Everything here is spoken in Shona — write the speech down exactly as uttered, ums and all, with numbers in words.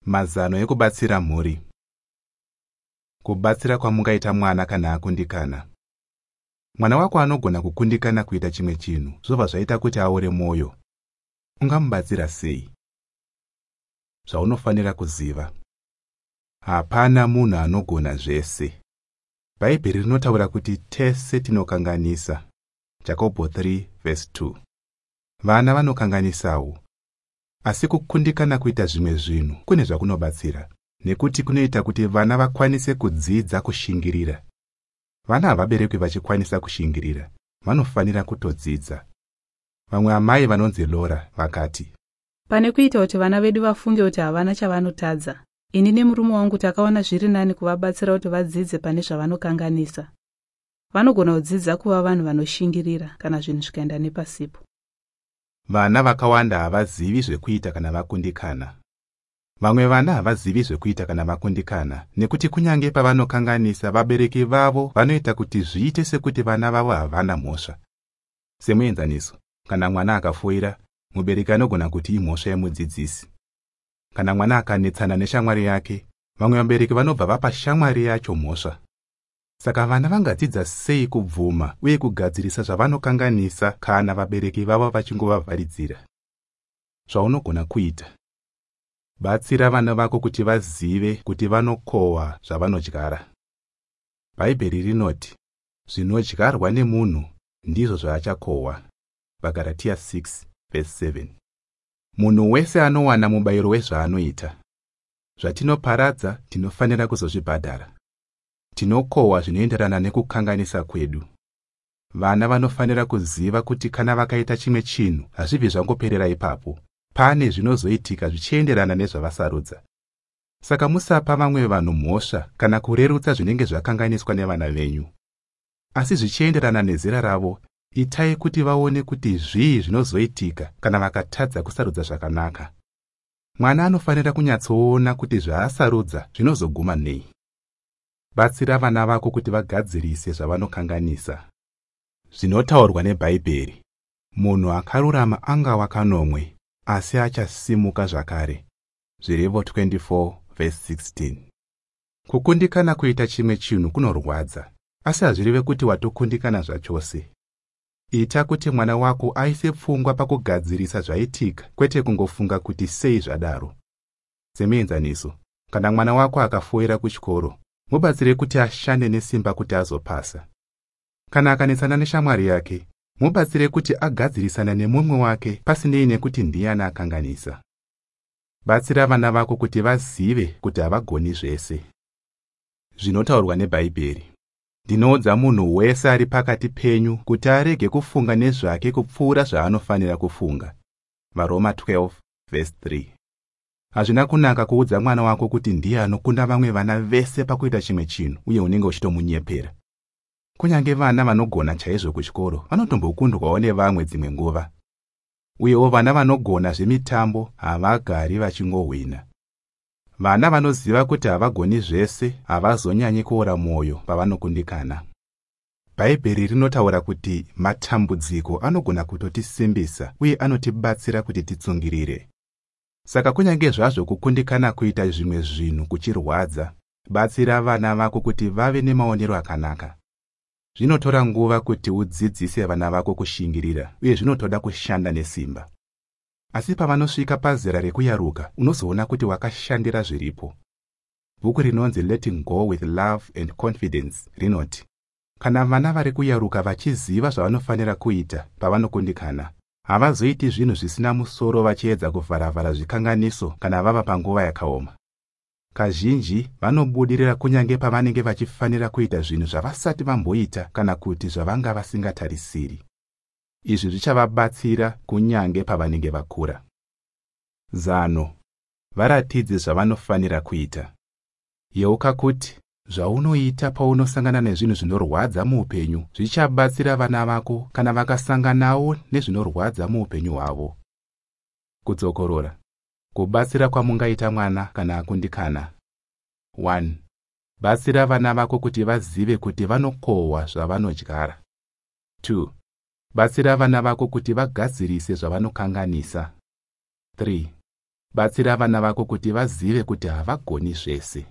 Mazano ekubatsira mhuri. Kubatsira kwamungaita mwana kana akundikana. Mwana wako anogona kukundikana kuita chimwe chinhu zvobva zvaita kuti aore mwoyo. Ungamubatsira sei? Zvaunofanira kuziva. Hapana munhu anogona zvese. Bhaibheri rinotaura kuti tese tinokanganisa. Jakobho three verse two. Vana vanokanganisawo. Asi kukundikana kuita zvimwe zvinhu kune zvakunobatsira, nekuti kunoita kuti vana vakwanise kudzidza kushingirira. Vana havaberekwi vachikwanisa kushingirira, vanofanira kutodzidza. Vamwe amai vanonzi Laura vakati, pane kuita kuti vana vedu vafunge kuti havana chavanotadza, ini nemurume wangu takaona zviri nani kuvabatsira kuti vadzidze pane zvavanokanganisa. Vanogona kudzidza kuva vanhu vanoshingirira kana zvinhu zvikaenda nepasipo. Vana vakawanda havazivi zvekuita kana vakundikana. Vamwe vana havazivi zvekuita kana vakundikana nekuti kunyange pavanokanganisa vabereki vavo vanoita kuti zviite sekuti vana vavo havana mhosva. Semuenzaniso, kana mwana akafoira, mubereki anogona kuti imhosva yemudzidzisi. Kana mwana akanetsana neshamwari yake, vamwe vabereki vanobva vapa shamwari yacho mhosva. Saka vana vangadzidza sei kubvuma uye kugadzirisa zvavanokanganisa kana vabereki vavo vachingovavharidzira? Zvaunogona kuita. Batsira vana vako kuti vazive kuti vanokohwa zvavanodyara. Bhaibheri rinoti, zvinodyarwa nemunhu ndizvo zvaachakohwa. VaGaratia six verse seven. Munhu wese anowana mubayiro wezvaanoita. Zvatinoparadza tinofanira kuzozvibhadhara. Tinokohwa zvinoenderana nekukanganisa kwedu. Vana vanofanira kuziva kuti kana vakaita chimwe chinhu hazvibvi zvangoperera ipapo. Pane zvinozoitika zvichienderana nezvavasarudza. Saka musapa vamwe vanhu mhosva kana kurerutsa zvinenge zvakanganiswa nevana venyu. Asi zvichienderana nezera ravo, itai kuti vaone kuti zvii zvinozoitika kana vakatadza kusarudza zvakanaka. Mwana anofanira kunyatsoona kuti zvaasarudza zvinozoguma nei. Batsira vana vako kuti vagadzirise zvavanokanganisa. Zvinotaurwa neBhaibheri. Munhu akarurama angawa kanomwe, asi achasimuka zvakare. Zvirevo twenty-four verse sixteen. Kukundikana kuita chimwe chinhu kunorwadza, asi hazvireve kuti watokundikana zvachose. Ita kuti mwana wako aise pfungwa pakugadzirisa zvaitika, kwete kungofunga kuti sei zvadaro. Semuenzaniso, kana mwana wako akafoira kuchikoro, mubatsire kuti ashande nesimba kuti azopasa. Kana akanetsana neshamwari yake, mubatsire kuti agadzirisana nemumwe wake pasinei nekuti ndiani akanganisa. Batsira vana vako kuti vazive kuti havagoni zvese. Zvinotaurwa neBhaibheri. Ndinoudza munhu wese ari pakati penyu kuti arege kufunga nezvake kupfuura zvaanofanira kufunga. VaRoma twelve verse three. Hazvina kunaka kuudza mwana wako kuti ndiye anokunda vamwe vana vese pakuita chimwe chinhu uye unenge uchitomunyepera. Kunyange vana vanogona chaizvo kuchikoro vanotombokundwawo nevamwe dzimwe nguva. Uyewo vana vanogona zvemitambo havagari vachingohwina. Vana vanoziva kuti havagoni zvese havazonyanyi kuora mwoyo pavanokundikana. Bhaibheri rinotaura kuti matambudziko anogona kutotisimbisa uye anotibatsira kuti titsungirire. Saka kunyange zvazvo kukundikana kuita zvimwe zvinhu kuchirwadza, batsira vana vako kuti vave nemaonero akanaka. Zvinotora nguva kuti udzidzise vana vako kushingirira uye zvinotoda kushanda nesimba. Asi pavanosvika pazera rekuyaruka, unozoona kuti wakashandira zviripo. Bhuku rinonzi Letting Go with Love and Confidence rinoti, kana vana vari kuyaruka vachiziva zvavanofanira kuita pavanokundikana, havazoiti zvinhu zvisina musoro vachiedza kuvharavhara zvikanganiso kana vava panguva yakaoma. Kazhinji vanobudirira kunyange pavanenge vachifanira kuita zvinhu zvavasati vamboita kana kuti zvavanga vasingatarisiri. Izvi zvichavabatsira kunyange pavanenge vakura. Zano. Varatidze zvavanofanira kuita. Yeuka kuti zvaunoita paunosangana nezvinhu zvinorwadza muupenyu zvichabatsira vana vako kana vakasanganawo nezvinorwadza muupenyu hwavo. Kudzokorora. Kubatsira kwamungaita mwana kana akundikana. one. Batsira vana vako kuti vazive kuti vanokohwa zvavanodyara. two. Batsira vana vako kuti vagadzirise zvavanokanganisa. three. Batsira vana vako kuti vazive kuti havagoni zvese.